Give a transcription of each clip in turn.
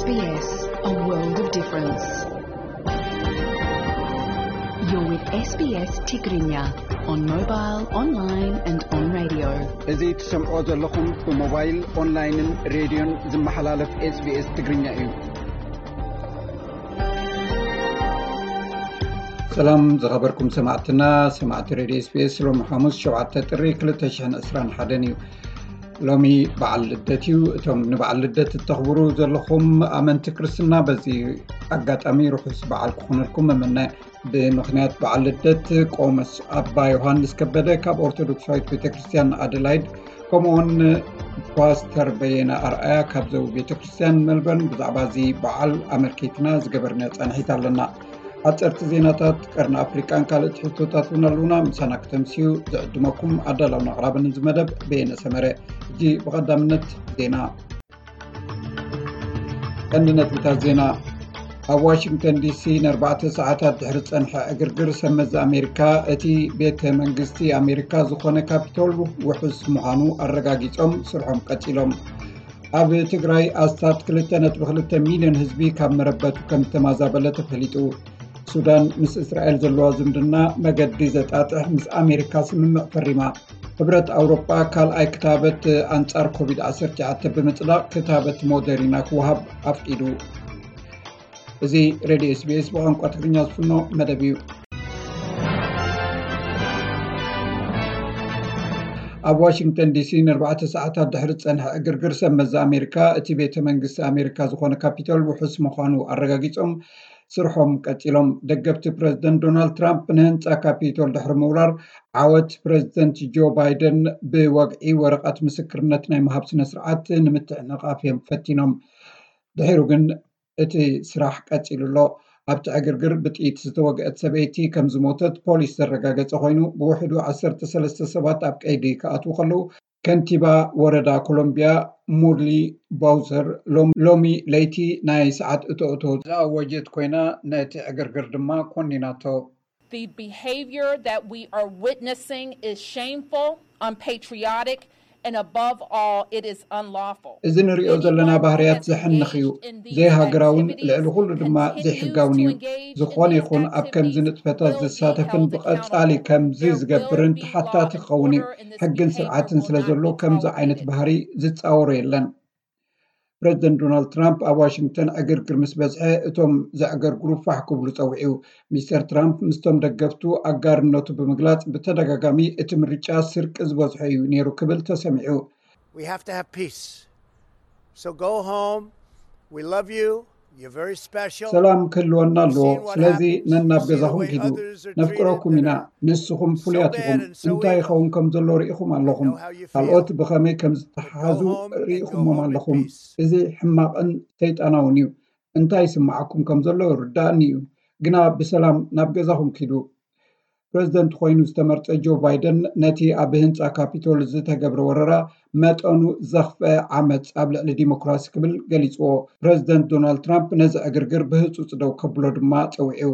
S B S, a world of difference. You're with S B S Tigrinya on mobile, online and on radio. እዚ ትሰምዖ ዘለኹም ብሞባይል፣ ኦንላይንን ሬድዮን ዝመሓላለፍ SBS ትግርኛ እዩ። ሰላም ዝኸበርኩም ሰማዕትና፣ ሰማዕቲ ሬድዮ SBS፣ ሎሚ ሓሙስ ሸውዓተ ጥሪ ክልተ ሽሕን ዕስራን ሓደን እዩ። ሎሚ በዓል ልደት እዩ። እቶም ንበዓል ልደት እተኽብሩ ዘለኹም ኣመንቲ ክርስትና፣ በዚ ኣጋጣሚ ርሑስ በዓል ክኾነልኩም እምነ። ብምኽንያት በዓል ልደት ቆሞስ ኣባ ዮሃንስ ከበደ ካብ ኦርቶዶክሳዊት ቤተክርስትያን ኣደላይድ፣ ከምኡውን ፓስተር በየነ ኣርኣያ ካብ ዘው ቤተክርስትያን መልበርን ብዛዕባ እዚ በዓል ኣመልኪትና ዝገበርና ጻንሒት ኣለና። ሓጸርቲ ዜናታት ቀርኒ ኣፍሪቃን ካልእ ትሕዝቶታት እውን ኣለዉና። ምሳና ክተምስዩ ዝዕድመኩም ኣዳላውን ኣቕራብን እዚ መደብ በየነ ሰመረ። ሕጂ ብቐዳምነት ዜና። ቀንዲ ነጥብታት ዜና። ኣብ ዋሽንግተን ዲሲ ንኣርባዕተ ሰዓታት ድሕሪ ዝጸንሐ ዕግርግር፣ ሰብ መዚ ኣሜሪካ እቲ ቤተ መንግስቲ ኣሜሪካ ዝኾነ ካፒቶል ውሑስ ምዃኑ ኣረጋጊጾም ስርሖም ቀጺሎም። ኣብ ትግራይ ኣስታት ክልተ ነጥቢ ክልተ ሚልዮን ህዝቢ ካብ መረበቱ ከም ዝተማዛበለ ተፈሊጡ። ሱዳን ምስ እስራኤል ዘለዋ ዝምድና መገዲ ዘጣጥሕ ምስ ኣሜሪካ ስምምዕ ፈሪማ። ሕብረት ኣውሮጳ ካልኣይ ክታበት ኣንጻር ኮቪድ ዓሰርተ ትሽዓተ ብምጽዳቕ ክታበት ሞደሪና ክወሃብ ኣፍቂዱ። እዚ ሬድዮ SBS ብቋንቋ ትግርኛ ዝፍኖ መደብ እዩ። ኣብ ዋሽንግተን ዲሲ ንኣርባዕተ ሰዓታት ድሕሪ ዝጸንሐ ዕግርግር፣ ሰብ መዚ ኣሜሪካ እቲ ቤተ መንግስቲ ኣሜሪካ ዝኾነ ካፒቶል ውሑስ ምዃኑ ኣረጋጊጾም ስርሖም ቀጺሎም። ደገፍቲ ፕረዚደንት ዶናልድ ትራምፕ ንህንጻ ካፒቶል ድሕሪ ምውራር፣ ዓወት ፕረዚደንት ጆ ባይደን ብወግዒ ወረቐት ምስክርነት ናይ ምሃብ ስነ ስርዓት ንምትዕንቓፍ እዮም ፈቲኖም። ድሒሩ ግን እቲ ስራሕ ቀጺሉ ኣሎ። ኣብቲ ዕግርግር ብጥይት ዝተወግአት ሰበይቲ ከም ዝሞተት ፖሊስ ዘረጋገጸ ኮይኑ፣ ብውሕዱ ዓሰርተ ሰለስተ ሰባት ኣብ ቀይዲ ክኣትዉ ከለዉ፣ ከንቲባ ወረዳ ኮሎምቢያ ሙርሊ ባውዘር ሎም-፣ ሎሚ ለይቲ ናይ ሰዓት እቶእቶ ዝኣወጀት ኮይና፣ ነቲ ዕግርግር ድማ ኮኒናቶ። The behavior that we are witnessing is shameful, unpatriotic, and above all, it is unlawful. እዚ ንሪኦ ዘለና ባህርያት ዘሕንኽ እዩ። ዘይሃገራውን ልዕሊ ኩሉ ድማ ዘይሕጋውን እዩ። ዝኾነ ይኹን ኣብ ከምዚ ንጥፈታት ዝሳተፍን ብቐጻሊ ከምዚ ዝገብርን ተሓታቲ ክኸውን እዩ። ሕግን ስርዓትን ስለ ዘሎ ከምዚ ዓይነት ባህሪ ዝጻወሮ የለን። ፕረዚደንት ዶናልድ ትራምፕ ኣብ ዋሽንግተን ዕግርግር ምስ በዝሐ፣ እቶም ዘዕገርግሩ ፋሕ ክብሉ ጸዊዑ። ሚስተር ትራምፕ ምስቶም ደገፍቱ ኣጋርነቱ ብምግላጽ፣ ብተደጋጋሚ እቲ ምርጫ ስርቂ ዝበዝሖ እዩ ነይሩ ክብል ተሰሚዑ። We have to have peace. So go home. We love you. You're very special. ሰላም ክህልወና ኣለዎ። ስለዚ ነናብ ገዛኹም ኪዱ። ነፍቅረኩም ኢና። ንስኹም ፍሉያት ኢኹም። እንታይ ይኸውን ከም ዘሎ ርኢኹም ኣለኹም። ካልኦት ብኸመይ ከም ዝተሓሓዙ ርኢኹሞም ኣለኹም። እዚ ሕማቕን ሰይጣናውን እዩ። እንታይ ይስምዓኩም ከም ዘሎ ይርዳእኒ እዩ። ግና ብሰላም ናብ ገዛኹም ኪዱ። ፕረዚደንት ኮይኑ ዝተመርጸ ጆ ባይደን ነቲ ኣብ ህንጻ ካፒቶል ዝተገብረ ወረራ መጠኑ ዘኽፍአ ዓመጽ ኣብ ልዕሊ ዲሞክራሲ ክብል ገሊጽዎ። ፕረዚደንት ዶናልድ ትራምፕ ነዚ ዕግርግር ብህጹጽ ደው ከብሎ ድማ ጸዊዑ።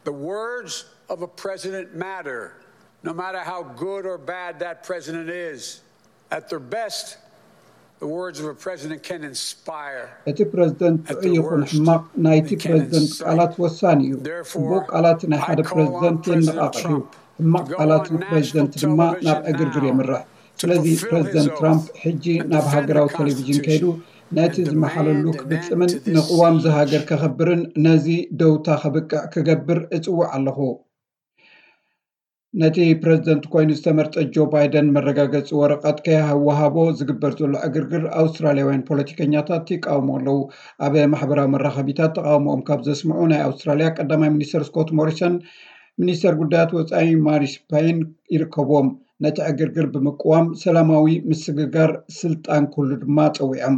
The words of a president matter, no matter how good or bad that president is. At their best, the words of a president can inspire. እቲ ፕረዚደንት ጥዑይ ይኹን ሕማቕ፣ ናይቲ ፕረዚደንት ቃላት ወሳኒ እዩ። ጽቡቕ ቃላት ናይ ሓደ ፕረዚደንት የነቓቕሕ እዩ። ሕማቕ ቃላት ንፕረዚደንት ድማ ናብ ዕግርግር የምርሕ። ስለዚ ፕረዚደንት ትራምፕ ሕጂ ናብ ሃገራዊ ቴሌቪዥን ከይዱ ነቲ ዝመሓለሉ ክፍጽምን ንቅዋም ዝሃገር ከኸብርን ነዚ ደውታ ከብቅዕ ክገብር እጽውዕ ኣለኹ። ነቲ ፕረዚደንት ኮይኑ ዝተመርጸ ጆ ባይደን መረጋገጺ ወረቐት ከይወሃቦ ዝግበር ዘሎ ዕግርግር ኣውስትራልያውያን ፖለቲከኛታት ይቃወሙ ኣለዉ። ኣብ ማሕበራዊ መራኸቢታት ተቃውሞኦም ካብ ዘስምዑ ናይ ኣውስትራልያ ቀዳማይ ሚኒስተር ስኮት ሞሪሰን፣ ሚኒስተር ጉዳያት ወጻኢ ማሪስ ፓይን ይርከብዎም። ነቲ ዕግርግር ብምቅዋም ሰላማዊ ምስግጋር ስልጣን ክህሉ ድማ ጸዊዖም።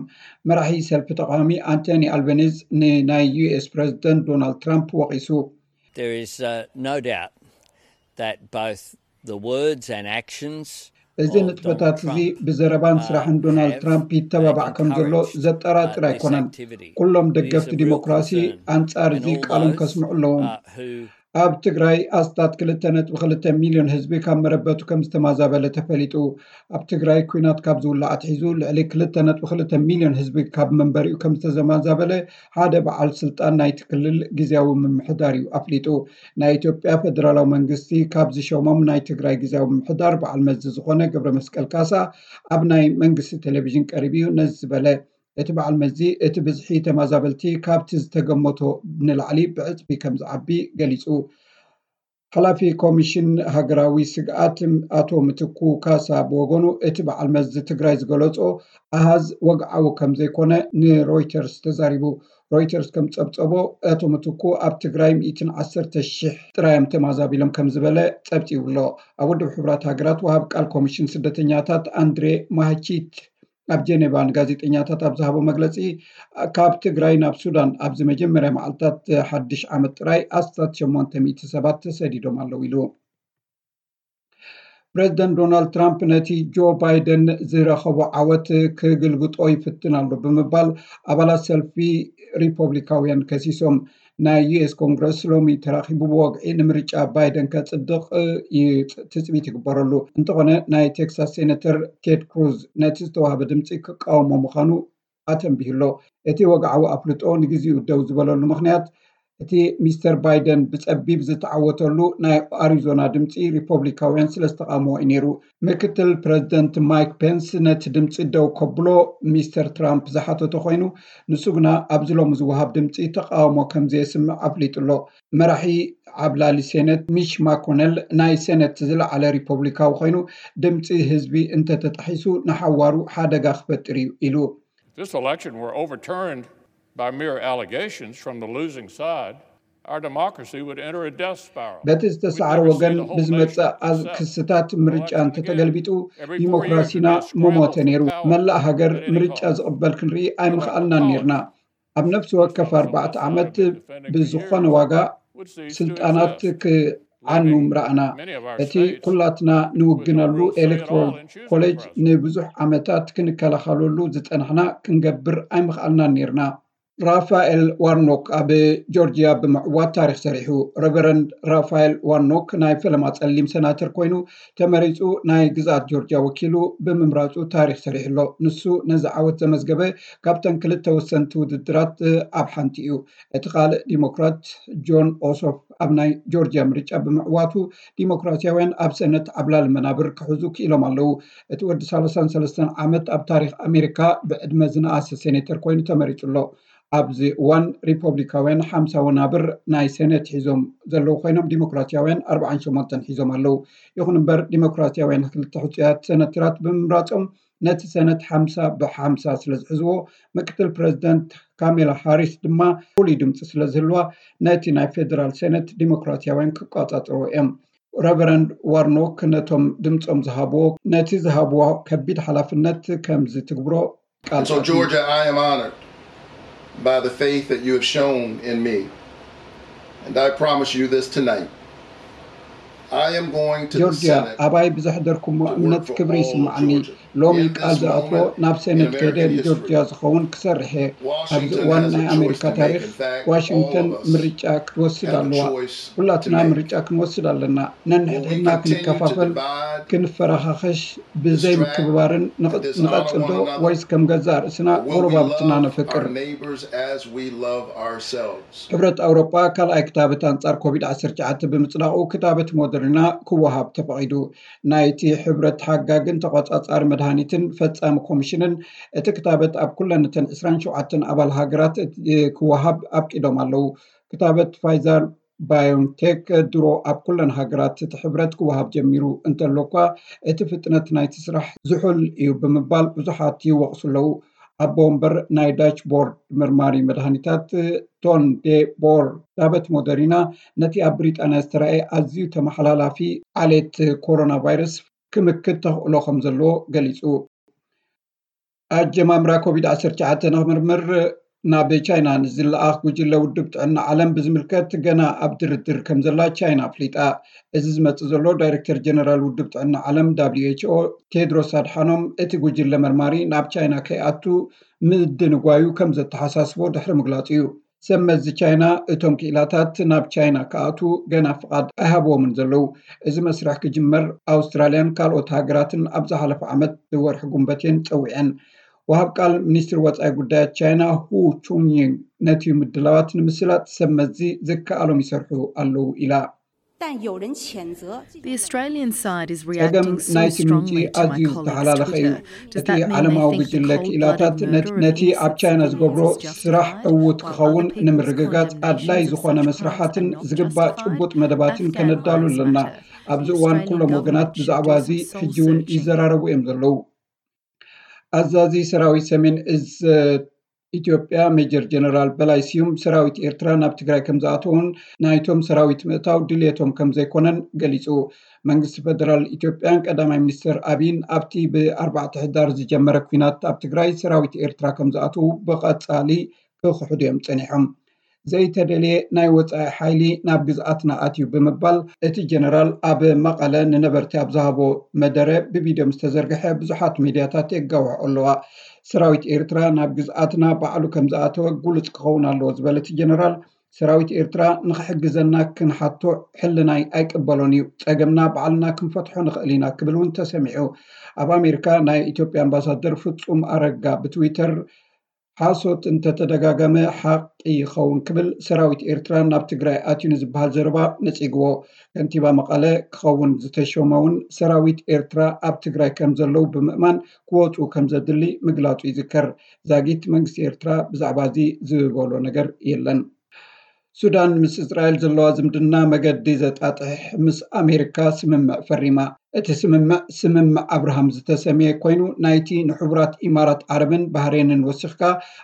መራሒ ሰልፊ ተቃዋሚ ኣንቶኒ ኣልበኒዝ ንናይ ዩ ኤስ ፕረዚደንት ዶናልድ ትራምፕ ወቒሱ። There is, uh, no doubt that both the words and actions እዚ ንጥፈታት እዚ ብዘረባን ስራሕን ዶናልድ ትራምፕ ይተባባዕ ከም ዘሎ ዘጠራጥር ኣይኮነን። ኩሎም ደገፍቲ ዲሞክራሲ ኣንጻር እዚ ቃሎም ከስምዑ ኣለዎም። ኣብ ትግራይ ኣስታት ክልተ ነጥቢ ክልተ ሚልዮን ህዝቢ ካብ መረበቱ ከም ዝተማዛበለ ተፈሊጡ። ኣብ ትግራይ ኲናት ካብ ዝውላዕ ኣትሒዙ ልዕሊ ክልተ ነጥቢ ክልተ ሚልዮን ህዝቢ ካብ መንበሪኡ ከም ዝተማዛበለ ሓደ በዓል ስልጣን ናይቲ ክልል ግዝያዊ ምምሕዳር እዩ ኣፍሊጡ። ናይ ኢትዮጵያ ፌደራላዊ መንግስቲ ካብ ዝሾሞም ናይ ትግራይ ግዝያዊ ምምሕዳር በዓል መዚ ዝኾነ ገብረ መስቀል ካሳ ኣብ ናይ መንግስቲ ቴሌቪዥን ቀሪቡ እዩ ነዚ ዝበለ። እቲ በዓል መዚ እቲ ብዝሒ ተማዛበልቲ ካብቲ ዝተገመቶ ንላዕሊ ብዕፅፊ ከም ዝዓቢ ገሊፁ። ሓላፊ ኮሚሽን ሃገራዊ ስግኣት ኣቶ ምትኩ ካሳ ብወገኑ እቲ በዓል መዚ ትግራይ ዝገለጾ ኣሃዝ ወግዓዊ ከም ዘይኮነ ንሮይተርስ ተዛሪቡ። ሮይተርስ ከም ጸብጸቦ ኣቶ ምትኩ ኣብ ትግራይ ሚእትን ዓሰርተ ሽሕ ጥራዮም ተማዛቢሎም ከም ዝበለ ጸብጺቡ ኣሎ። ኣብ ውድብ ሕቡራት ሃገራት ወሃብ ቃል ኮሚሽን ስደተኛታት ኣንድሬ ማህቺት ኣብ ጀኔቫ ንጋዜጠኛታት ኣብ ዝሃቦ መግለጺ፣ ካብ ትግራይ ናብ ሱዳን ኣብዚ መጀመርያ መዓልታት ሓድሽ ዓመት ጥራይ ኣስታት ሸሞንተ ሚእቲ ሰባት ተሰዲዶም ኣለዉ ኢሉ። ፕረዚደንት ዶናልድ ትራምፕ ነቲ ጆ ባይደን ዝረኸቦ ዓወት ክግልብጦ ይፍትን ኣሎ ብምባል ኣባላት ሰልፊ ሪፖብሊካውያን ከሲሶም። ናይ ዩ ኤስ ኮንግረስ ሎሚ ተራኺቡ ብወግዒ ንምርጫ ባይደን ከጽድቕ ትጽቢት ይግበረሉ። እንተኾነ ናይ ቴክሳስ ሴነተር ቴድ ክሩዝ ነቲ ዝተዋህበ ድምፂ ክቃወሞ ምዃኑ ኣተንቢሁ ኣሎ። እቲ ወግዓዊ ኣፍልጦ ንግዜኡ ደው ዝበለሉ ምኽንያት እቲ ሚስተር ባይደን ብጸቢብ ዝተዓወተሉ ናይ ኣሪዞና ድምፂ ሪፖብሊካውያን ስለ ዝተቓወምዎ እዩ ነይሩ። ምክትል ፕረዚደንት ማይክ ፔንስ ነቲ ድምፂ ደው ከብሎ ሚስተር ትራምፕ ዝሓተቶ ኮይኑ፣ ንሱ ግና ኣብዚ ሎሚ ዝወሃብ ድምፂ ተቃውሞ ከም ዘየስምዕ ኣፍሊጡ ኣሎ። መራሒ ዓብላሊ ሴነት ሚች ማኮነል ናይ ሴነት ዝለዓለ ሪፖብሊካዊ ኮይኑ፣ ድምፂ ህዝቢ እንተተጣሒሱ ንሓዋሩ ሓደጋ ክፈጥር እዩ ኢሉ። If this election were overturned by mere allegations from the losing side, our democracy would enter a death spiral. በቲ ዝተሳዕረ ወገን ብዝመፅእ ክስታት ምርጫ እንተተገልቢጡ ዲሞክራሲና ምሞተ ነይሩ። መላእ ሃገር ምርጫ ዝቕበል ክንርኢ ኣይምኽኣልናን ነይርና። ኣብ ነፍሲ ወከፍ ኣርባዕተ ዓመት ብዝኾነ ዋጋ ስልጣናት ክዓኑ ምረኣና። እቲ ኩላትና ንውግነሉ ኤሌክቶራል ኮሌጅ ንብዙሕ ዓመታት ክንከላኸለሉ ዝፀናሕና ክንገብር ኣይምኽኣልናን ነይርና። ራፋኤል ዋርኖክ ኣብ ጆርጂያ ብምዕዋት ታሪክ ሰሪሑ። ረቨረንድ ራፋኤል ዋርኖክ ናይ ፈለማ ፀሊም ሰናተር ኮይኑ ተመሪፁ ናይ ግዝኣት ጆርጂያ ወኪሉ ብምምራፁ ታሪክ ሰሪሑ ኣሎ። ንሱ ነዚ ዓወት ዘመዝገበ ካብተን ክልተ ወሰንቲ ውድድራት ኣብ ሓንቲ እዩ። እቲ ካልእ ዲሞክራት ጆን ኦሶፍ ኣብ ናይ ጆርጂያ ምርጫ ብምዕዋቱ ዲሞክራሲያውያን ኣብ ሰነት ዓብላሊ መናብር ክሕዙ ክኢሎም ኣለዉ። እቲ ወዲ ሰላሳን ሰለስተን ዓመት ኣብ ታሪክ ኣሜሪካ ብዕድመ ዝነኣሰ ሴኔተር ኮይኑ ተመሪፁ ኣሎ። ኣብዚ እዋን ሪፖብሊካውያን ሓምሳ ወናብር ናይ ሴኔት ሒዞም ዘለዉ ኮይኖም ዲሞክራሲያውያን ኣርባዓን ሸሞንተን ሒዞም ኣለዉ። ይኹን እምበር ዲሞክራሲያውያን ክልተ ሕፁያት ሴኔተራት ብምምራፆም ነቲ ሴኔት ሓምሳ ብሓምሳ ስለ ዝሕዝዎ ምክትል ፕረዚደንት ካሜላ ሃሪስ ድማ ፍሉይ ድምፂ ስለ ዝህልዋ ነቲ ናይ ፌደራል ሴኔት ዲሞክራሲያውያን ክቆፃፀርዎ እዮም። ረቨረንድ ዋርኖክ ነቶም ድምፆም ዝሃብዎ ነቲ ዝሃብዎ ከቢድ ሓላፍነት ከም ዝትግብሮ ቃል So, Georgia, I am honored by the faith that you have shown in me. And I promise you this tonight. I am going to the ጆርጂያ Senate ኣባይ ብዘሕደርኩሞ እምነት ክብሪ ይስምዓኒ። ሎሚ ቃል ዝኣትዎ ናብ ሴኔት ከይደ ንጆርጂያ ዝኸውን ክሰርሕ እየ። ኣብዚ እዋን ናይ ኣሜሪካ ታሪክ ዋሽንግተን ምርጫ ክትወስድ ኣለዋ። ኩላትና ምርጫ ክንወስድ ኣለና። ነንሕድሕድና ክንከፋፈል፣ ክንፈራኻኸሽ፣ ብዘይ ምክብባርን ንቐጽል ዶ ወይስ ከም ገዛእ ርእስና ጎረባብትና ነፍቅር? Neighbors as we love ourselves. ሕብረት ኣውሮጳ ካልኣይ ክታበት ኣንጻር ኮቪድ ዓሰርተ ትሽዓተ ብምጽዳቑ ክታበት ሞደርና ክወሃብ ተፈቒዱ። ናይቲ ሕብረት ሓጋግን ተቖጻጻሪ መድሃኒትን ፈጻሚ ኮሚሽንን እቲ ክታበት ኣብ ኩለን እተን ዕስራን ሸውዓተን ኣባል ሃገራት ክወሃብ ኣፍቂዶም ኣለዉ። ክታበት ፋይዘር ባዮንቴክ ድሮ ኣብ ኩለን ሃገራት እቲ ሕብረት ክወሃብ ጀሚሩ እንተሎ እኳ እቲ ፍጥነት ናይቲ ስራሕ ዝሑል እዩ ብምባል ብዙሓት ይወቕሱ ኣለዉ። ኣቦ ወንበር ናይ ዳች ቦርድ መርማሪ መድሃኒታት ቶን ዴ ቦር ክታበት ሞደሪና ነቲ ኣብ ብሪጣንያ ዝተራእየ ኣዝዩ ተመሓላላፊ ዓሌት ኮሮና ቫይረስ ክምክት ተኽእሎ ከም ዘለዎ ገሊጹ። ኣጀማምራ ኮቪድ ዓሰርተ ትሽዓተ ንክምርምር ናብ ቻይና ንዝለኣኽ ጉጅለ ውድብ ጥዕና ዓለም ብዝምልከት ገና ኣብ ድርድር ከም ዘላ ቻይና ኣፍሊጣ። እዚ ዝመጽእ ዘሎ ዳይሬክተር ጀነራል ውድብ ጥዕና ዓለም ዳብሊው ኤች ኦ ቴድሮስ ኣድሓኖም እቲ ጉጅለ መርማሪ ናብ ቻይና ከይኣቱ ምድንጓዩ ከም ዘተሓሳስቦ ድሕሪ ምግላጹ እዩ። ሰብ መዚ ቻይና እቶም ክኢላታት ናብ ቻይና ክኣትዉ ገና ፍቓድ ኣይሃብዎምን ዘለዉ። እዚ መስርሕ ክጅመር ኣውስትራልያን ካልኦት ሃገራትን ኣብ ዝሓለፈ ዓመት ወርሒ ጉንበት እየን ጸዊዐን። ወሃብ ቃል ሚኒስትሪ ወጻኢ ጉዳያት ቻይና ሁ ቹንይንግ ነቲ ምድላዋት ንምስላጥ ሰብ መዚ ዝከኣሎም ይሰርሑ ኣለዉ ኢላ። 但有人谴责这 The Australian side is ጸገም reacting so ናይቲ ምንጪ strongly to my ኣዝዩ colleague's ዝተሓላለኸ እዩ። Twitter. Does እቲ that mean they ዓለማዊ think a ጉጅለ cold-blooded ክኢላታት murder of ነቲ ኣብ innocent ቻይና ዝገብሮ civilians is ስራሕ justified? ዕዉት While ክኸውን other people's ንምርግጋጽ ኣድላይ condemnations of ዝኾነ such መስርሓትን crimes are ዝግባእ justified, ጭቡጥ መደባትን a fair ከነዳሉ lives ኣለና። matter. ኣብዚ The እዋን Australian ኩሎም ወገናት government should ብዛዕባ do እዚ some soul ሕጂ እውን searching. ይዘራረቡ እዮም ዘለዉ። ኣዛዚ ሰራዊት ሰሜን እዝ ኢትዮጵያ ሜጀር ጀነራል በላይ ስዩም ሰራዊት ኤርትራ ናብ ትግራይ ከም ዝኣተውን ናይቶም ሰራዊት ምእታው ድልየቶም ከም ዘይኮነን ገሊጹ። መንግስቲ ፈደራል ኢትዮጵያን ቀዳማይ ሚኒስትር ኣብይን ኣብቲ ብኣርባዕተ ሕዳር ዝጀመረ ኲናት ኣብ ትግራይ ሰራዊት ኤርትራ ከም ዝኣትዉ ብቐጻሊ ክኽሕዱ እዮም ጸኒሖም። ዘይተደልየ ናይ ወጻኢ ሓይሊ ናብ ግዝኣትና ኣትዩ ብምባል እቲ ጀነራል ኣብ መቐለ ንነበርቲ ኣብ ዝሃቦ መደረ ብቪድዮ ምስ ተዘርግሐ ብዙሓት ሚድያታት የጋውሖ ኣለዋ። ሰራዊት ኤርትራ ናብ ግዝኣትና ባዕሉ ከም ዝኣተወ ጉሉጽ ክኸውን ኣለዎ ዝበለ እቲ ጀነራል ሰራዊት ኤርትራ ንኽሕግዘና ክንሓቶ ሕልናይ ኣይቅበሎን እዩ። ጸገምና ባዕልና ክንፈትሖ ንኽእል ኢና ክብል እውን ተሰሚዑ። ኣብ ኣሜሪካ ናይ ኢትዮጵያ ኣምባሳደር ፍጹም ኣረጋ ብትዊተር ሓሶት እንተተደጋገመ ሓቂ ይኸውን ክብል ሰራዊት ኤርትራ ናብ ትግራይ ኣትዩ ንዝበሃል ዘረባ ነጺግዎ። ከንቲባ መቐለ ክኸውን ዝተሾመ እውን ሰራዊት ኤርትራ ኣብ ትግራይ ከም ዘለዉ ብምእማን ክወፁ ከም ዘድሊ ምግላፁ ይዝከር። ዛጊት መንግስቲ ኤርትራ ብዛዕባ እዚ ዝበሎ ነገር የለን። ሱዳን ምስ እስራኤል ዘለዋ ዝምድና መገዲ ዘጣጥሕ ምስ ኣሜሪካ ስምምዕ ፈሪማ። እቲ ስምምዕ ስምምዕ ኣብርሃም ዝተሰምየ ኮይኑ ናይቲ ንሕቡራት ኢማራት ዓረብን ባህሬንን ወሲኽካ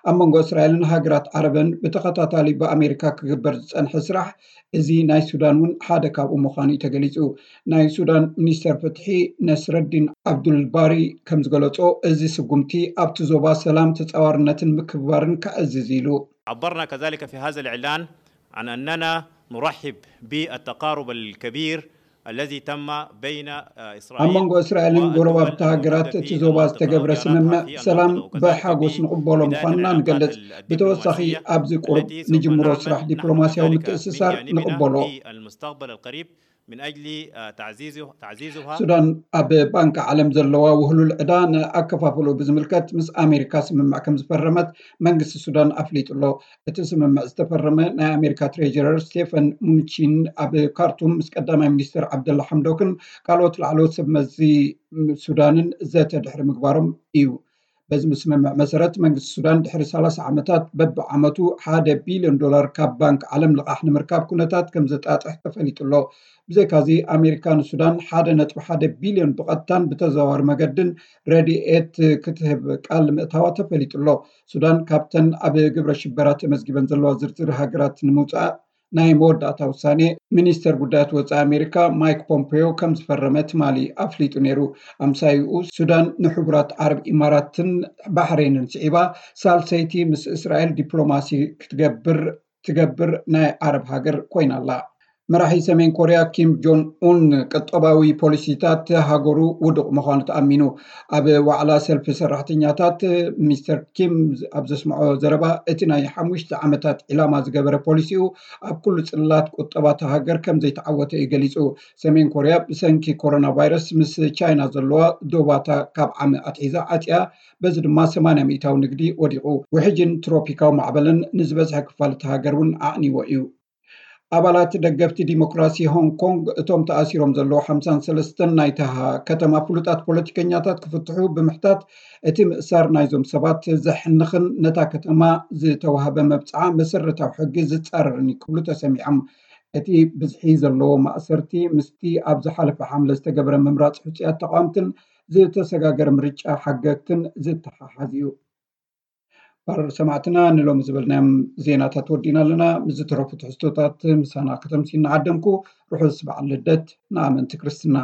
ኣብ መንጎ እስራኤልን ሃገራት ዓረብን ብተኸታታሊ ብኣሜሪካ ክግበር ዝጸንሐ ስራሕ እዚ ናይ ሱዳን እውን ሓደ ካብኡ ምዃኑ እዩ ተገሊጹ። ናይ ሱዳን ሚኒስተር ፍትሒ ነስረዲን ኣብዱልባሪ ከም ዝገለጾ እዚ ስጉምቲ ኣብቲ ዞባ ሰላም ተጻዋርነትን ምክብባርን ከዕዝዝ ኢሉ። عبرنا كذلك في هذا الإعلان عن أننا نرحب بالتقارب الكبير الذي تم بين إسرائيل ኣብ መንጎ እስራኤልን ጎረባብቲ ሃገራት እቲ ዞባ ዝተገብረ ስምምዕ ሰላም ብሓጎስ ንቕበሎ ምዃንና ንገልጽ። ብተወሳኺ ኣብዚ ቁሩብ ንጅምሮ ስራሕ ዲፕሎማስያዊ ምትእስሳር ንቕበሎ። المستقبل القريب من أجل تعزيزها ሱዳን ኣብ ባንክ ዓለም ዘለዋ ውህሉል ዕዳ ንኣከፋፍሎ ብዝምልከት ምስ ኣሜሪካ ስምምዕ ከም ዝፈረመት መንግስቲ ሱዳን ኣፍሊጡ ኣሎ። እቲ ስምምዕ ዝተፈረመ ናይ ኣሜሪካ ትሬጀረር ስቴፈን ሙንቺን ኣብ ካርቱም ምስ ቀዳማይ ሚኒስትር ዓብደላ ሓምዶክን ካልኦት ላዕለዎት ሰብ መዚ ሱዳንን ዘተ ድሕሪ ምግባሮም እዩ። በዚ ስምምዕ መሰረት መንግስቲ ሱዳን ድሕሪ ሰላሳ ዓመታት በብዓመቱ ሓደ ቢልዮን ዶላር ካብ ባንክ ዓለም ልቓሕ ንምርካብ ኩነታት ከም ዘጣጥሕ ተፈሊጡ ኣሎ። ብዘይካዚ ኣሜሪካ ንሱዳን ሓደ ነጥቢ ሓደ ቢልዮን ብቐጥታን ብተዘዋዋሪ መገድን ረድኤት ክትህብ ቃል ምእታዋ ተፈሊጡ ኣሎ። ሱዳን ካብተን ኣብ ግብረ ሽበራ ተመዝጊበን ዘለዋ ዝርዝር ሃገራት ንምውፃእ ናይ መወዳእታ ውሳኔ ሚኒስተር ጉዳያት ወፃኢ ኣሜሪካ ማይክ ፖምፔዮ ከም ዝፈረመ ትማሊ ኣፍሊጡ ነይሩ። ኣምሳይኡ ሱዳን ንሕቡራት ዓረብ ኢማራትን ባሕሬንን ስዒባ ሳልሰይቲ ምስ እስራኤል ዲፕሎማሲ ክትገብር ትገብር ናይ ዓረብ ሃገር ኮይና ኣላ። መራሒ ሰሜን ኮርያ ኪም ጆን ኡን ቅጠባዊ ፖሊሲታት ሃገሩ ውዱቕ ምዃኑ ተኣሚኑ። ኣብ ዋዕላ ሰልፊ ሰራሕተኛታት ሚስተር ኪም ኣብ ዘስምዖ ዘረባ እቲ ናይ ሓሙሽተ ዓመታት ዒላማ ዝገበረ ፖሊሲኡ ኣብ ኩሉ ጽላት ቁጠባ እታ ሃገር ከም ዘይተዓወተ እዩ ገሊጹ። ሰሜን ኮርያ ብሰንኪ ኮሮና ቫይረስ ምስ ቻይና ዘለዋ ዶባታ ካብ ዓሚ ኣትሒዛ ዓጽያ፣ በዚ ድማ ሰማንያ ሚእታዊ ንግዲ ወዲቑ። ውሕጅን ትሮፒካዊ ማዕበልን ንዝበዝሐ ክፋል እታ ሃገር እውን ኣዕኒዎ እዩ። ኣባላት ደገፍቲ ዲሞክራሲ ሆንግ ኮንግ እቶም ተኣሲሮም ዘለዉ ሓምሳን ሰለስተን ናይታ ከተማ ፍሉጣት ፖለቲከኛታት ክፍትሑ ብምሕታት እቲ ምእሳር ናይዞም ሰባት ዘሕንኽን ነታ ከተማ ዝተዋህበ መብጽዓ መሰረታዊ ሕጊ ዝጻረርን እዩ ክብሉ ተሰሚዖም። እቲ ብዝሒ ዘለዎ ማእሰርቲ ምስቲ ኣብ ዝሓለፈ ሓምለ ዝተገብረ ምምራጽ ሕጹያት ተቓወምትን ዝተሰጋገረ ምርጫ ሓገግትን ዝተሓሓዝ እዩ። ባር ሰማዕትና ንሎሚ ዝበልናዮም ዜናታት ወዲና ኣለና። ምስ ዝተረፉ ትሕዝቶታት ምሳና ከተምሲ እናዓደምኩ ርሑስ በዓል ልደት ንኣመንቲ ክርስትና።